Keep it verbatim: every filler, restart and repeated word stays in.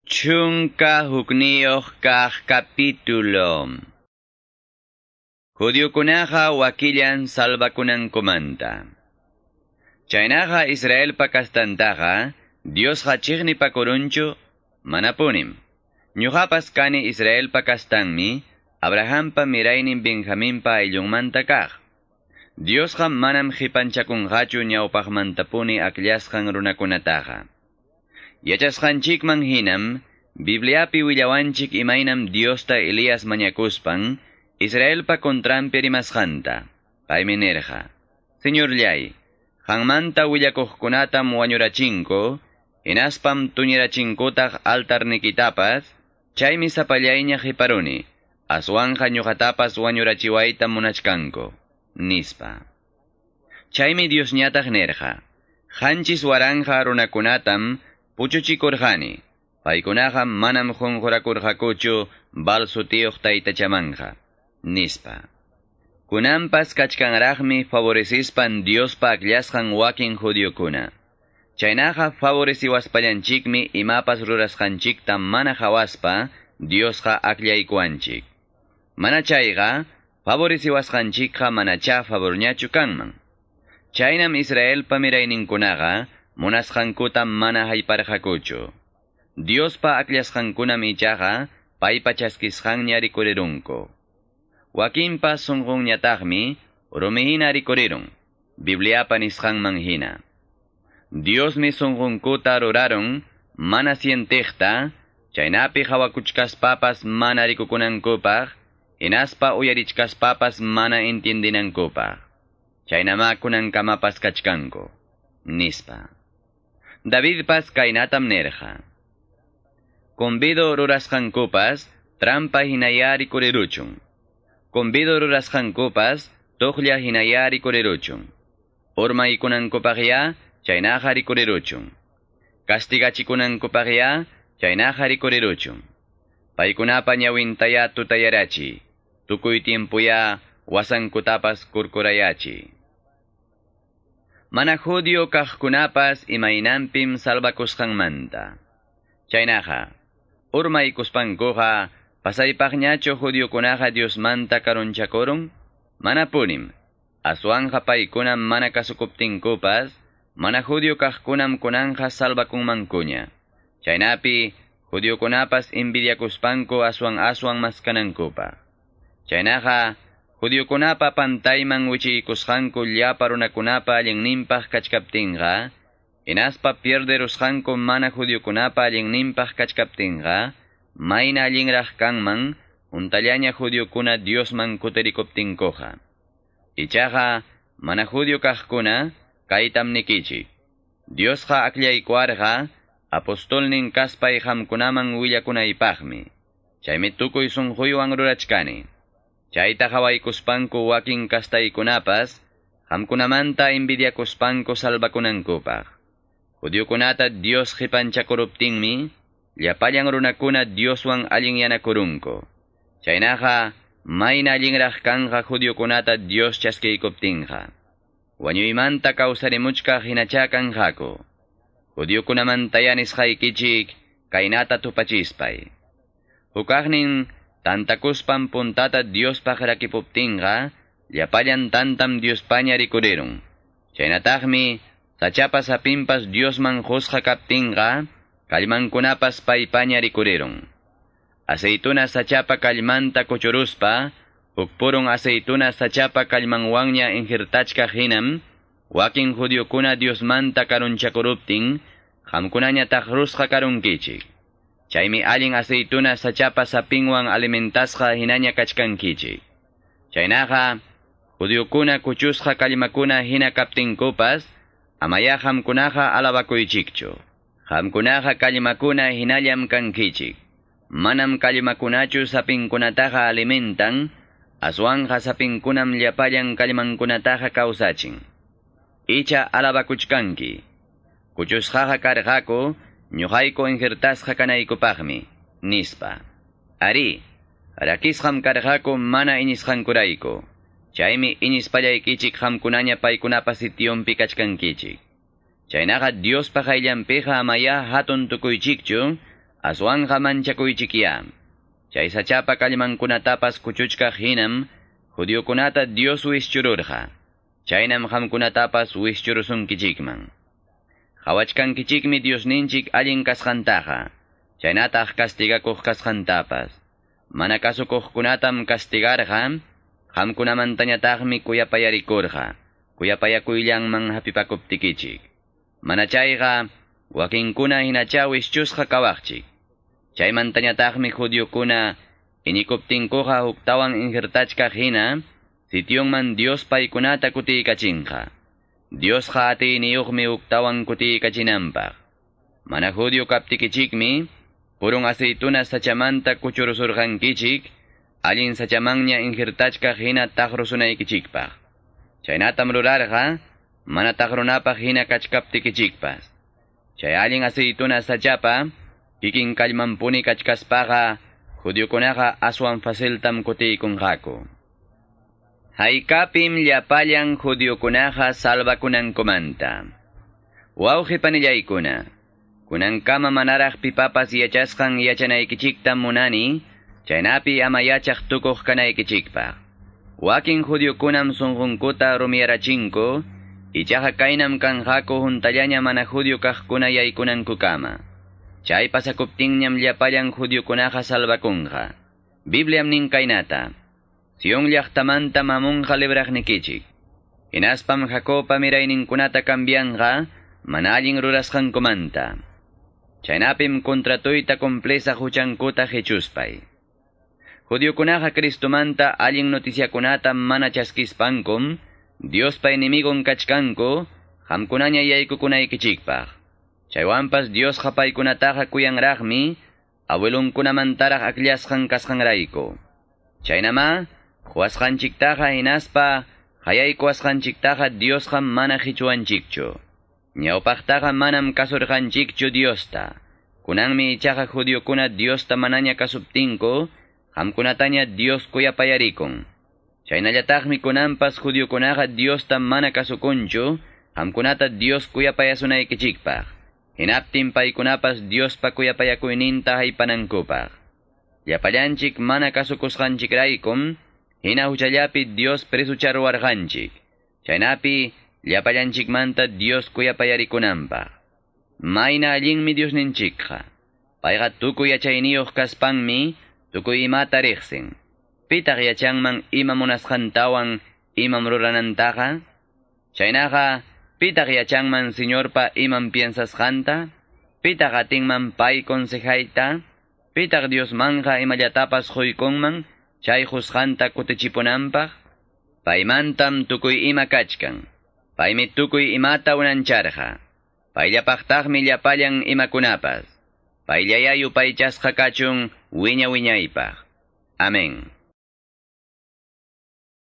Chunka hukniyuq kaq capítulo. Judiokunaqa wakillan salvakunankumanta. Chaynaqa Israelpa kastantaqa Diosqa chiqnipakurunchu manapunim. Ñuqapas kani Israelpa kastanmi, Abrahampa miraynin Benjaminpa ayllunmanta kaq. Diosqa manam qipanchakunqachu ñawpaqmantapuni akllasqan runakunataqa. Yachasqanchikman hinam, Bibliapi willawanchik imaynam Diosta Elías mañakuspan, Israelpa contranpi rimasqanta. Paymi nirqa: Señorllay, qanmanta willakuqkunatam wañurachinku, hinaspam tuñirachinkutaq altarnikitapas, chaymi sapallayña qiparuni, aswanqa ñuqatapas wañurachiwayta munachkanku, nispa. Chaymi Diosñataq nirqa: Qanchis waranja runakunatam puchuchikurqani, paykunaqa manam qunqurakurqakuchu Baal sutiyuq taytachamanja, nispa. Kunanpas kachkanraqmi favorecispan Diospa akllasqan wakin judiokuna. Chaynaqa favoreciwaspallanchikmi imapas rurasqanchikta mana hawaspa Diosqa akllaykuwanchik. Mana chayqa favoreciwasqanchikqa manachá favorñachu kanman. Chaynam Israelpa mirayninkunaqa munasqankuta mana hayparqakuchu. Diospa akllasqankunam ichaqa paypa chaskisqanña rikurirunku. Wakinpa sunqunñataqmi rumihina rikurirun, Bibliapa nisqanman hina. Diosmi sunqunkuta rurarun mana sientiqta, chaynapi hawakuchkaspapas mana rikukunankupaq, hinaspa uyarichkaspapas mana entiendinankupaq. Chaynama kunankamapas kachkanku, nispa. Davidpas kaynatam nirqa: Convido rurasqankupas trampa hinaya rikuriruchun. Convido rurasqankupas tuqlla hinaya rikuriruchun. Urmaykunankupaqya chaynaqa rikuriruchun. Castigachikunankupaqya chaynaqa rikuriruchun. Paykunapa ñawintaya tutayarachi, tukuy tiempuya wasankutapas kurkurayachi. Mana judío kaqkunapas imaynampim salvakusqanmanta. Chaynaqa, urmaykuspankuqa pasaypaqñachu judiokunaqa Diosmanta karunchakurun? Manapunim. Aswanja paykunam mana kasukuptinkupas, mana judío kaqkunam kunanja salvakunmankuña. Chaynapi, judiokunapas envidiakuspanku aswan aswan maskanankupaq. Chaynaqa, judiokunapa pantayman wichiykusqanku llapa runakunapa allinninpaq kachkaptinqa, hinaspa pierderusqanku mana judiokunapa allinninpaq kachkaptinqa, mayna allinraq kanman untallaña judiokuna Diosman kutirikuptinkuqa. Ichaqa mana judio kaqkuna kaytam nikichik: Diosqa akllaykuwarqa apostolnin kaspay qamkunaman willakunaypaqmi. Chaymi tukuy sunquywan rurachkani. Chayta hawaykuspanku wakin kastaykunapas, qamkunamanta envidiakuspanku salvakunankupaq. Judiokunata Dios qipanchakuruptinmi, llapallan runakuna Dioswan allinyanakurunku. Chaynaqa mayna allinraq kanqa judiokunata Dios chaskiykuptinqa. Wañuymanta kawsarimuchkaq hinachá kanqaku. Judiokunamantaya nisqaykichik kaynata tupachispay. Hukaqnin tantakuspan puntata Diospaq rakipuptinqa, llapallan tantam Diospaña rikurirun. Chaynataqmi sachapa sapinpas Diosman qusqa kaptinqa, kallmankunapas paypaña rikurirun. Aceituna sachapa kallmanta kuchuruspa, huk purun aceituna sachapa kallmanwanña injirtachkaq hinam, wakin judiokuna Diosmanta karunchakuruptin, qamkunaña taqrusqa karunkichik. Chaymi allin aceituna sachapa sapinwan alimentasqa hinaña kachkankichik. Chaynaqa, judiokuna kuchusqa kallmakuna hina kaptinkupas, amaya qamkunaqa alabakuychikchu. Qamkunaqa kallmakuna hinallam kankichik. Manam kallmakunachu sapinkunataqa alimentan, aswanja sapinkunam llapallan kallmankunataqa kawsachin. Icha alabakuchkanki. Kuchusqaqa karqaku, ñuqayku injertasqa kanaykupaqmi, nispa. Ari, rakisqam karqaku mana iñisqankurayku. Chaymi iñispallaykichik qamkunaña paykunapa sitionpi kachkankichik. Chaynaqa Diospa qayllanpiqa amaya hatun tukuychikchu, Aswanqa manchakuychikya. Chay sachapa kallmankunatapas kuchuchkaq hinam, judiokunata Dios wischururqa. Chaynam qamkunatapas wischurusunkichikman. Qawachkankichikmi Diosninchik allin kasqantaqa, chaynataq castigakuq kasqantapas. Mana kasukuqkunatam castigarqa, qamkunamantañataqmi kuyapayarikurqa, kuyapayakuyllanman hapipakuptikichik. Mana chayqa, wakinkuna hinacha wischusqa kawaqchik. Chaymantañataqmi judiokuna iñikuptinkuqa huktawan injertachkaq hina, sitionman Dios paykunata kutiykachinqa. Diosqa atiyniyuqmi huktawan kutiykachinanpaq. Mana judio kaptikichikmi, purun aceituna sachamanta kuchurusurqankichik, allin sachamanña injertachkaq hina taqrusunaykichikpaq. Chaynatam rurarqa, mana taqrunapaq hina kachkaptikichikpas. Chay allin aceituna sachapa, kikin kallmanpuni kachkaspaqa, judiokunaqa aswan faciltam kutiykunqaku. Haykapim llapallan judiokunaqa salvakunankumanta. Wawqi panillaykuna, kunankama manaraq pipapas yachasqan yachanaykichiktam munani, chaynapi ama yachaq tukuq kanaykichikpaq. Wakin judiokunam sunqunkuta rumiyarachinku, ichaqa kaynam kanqaku huntallaña mana judio kaqkuna yaykunankukama. Chay pasakuptinñam llapallan judiokunaqa salvakunqa. Bibliam nin kaynata. Sion llaqtamanta mamunqa libraqnikichik. Hinaspam Jacobpa mirayninkunata cambianqa mana allin rurasqankumanta. Chaynapim contratuyta cumplisa huchankuta hichuspay. Judiokunaqa Cristomanta allin noticiakunata mana chaskispankum, Diospa enemigon kachkanku, qamkunaña yaykukunaykichikpaq. Chaywanpas Diosqa paykunataqa kuyanraqmi, abuelunkunamantaraq akllasqan kasqanrayku. Chaynama, quwasqanchiktaqa hinaspa qayaykuwasqanchiktaqa Diosqa mana hichuwanchikchu. Ñawpaqtaqa manam kasurqanchikchu Diosta. Kunanmi ichaqa judiokuna Diosta manaña kasuptinku, qamkunataña Dios kuyapayarikun. Chaynallataqmi kunanpas judiokunaqa Diosta mana kasukunchu, qamkunata Dios kuyapayasunaykichikpaq. Hinaptin paykunapas Diospa kuyapayakuyninta haypanankupaq. Llapallanchik mana kasukusqanchikraykum, hina huchallapi Dios presucharuwarqanchik. Chaynapi llapallanchikmanta Dios kuyapayarikunanpaq. Mayna allinmi Diosninchikqa. Payqa tukuy yachayniyuq kaspanmi tukuy imata riqsin. Pitaq yachanman ima munasqantawan imam ruranantaqa? Chaynaqa, pitaq yachanman Señorpa imam piensasqanta? Pitaq atinman pay consejayta? Pitaq Diosmanja imallatapas quykunman chay husqanta kutichipunanpaq? Paymantam tukuy ima kachkan. Paymi tukuy imata unancharqa. Payllapaqtaqmi llapallan imakunapas. Payllayá yupaychasqa kachun wiña wiñaypaq. Amén.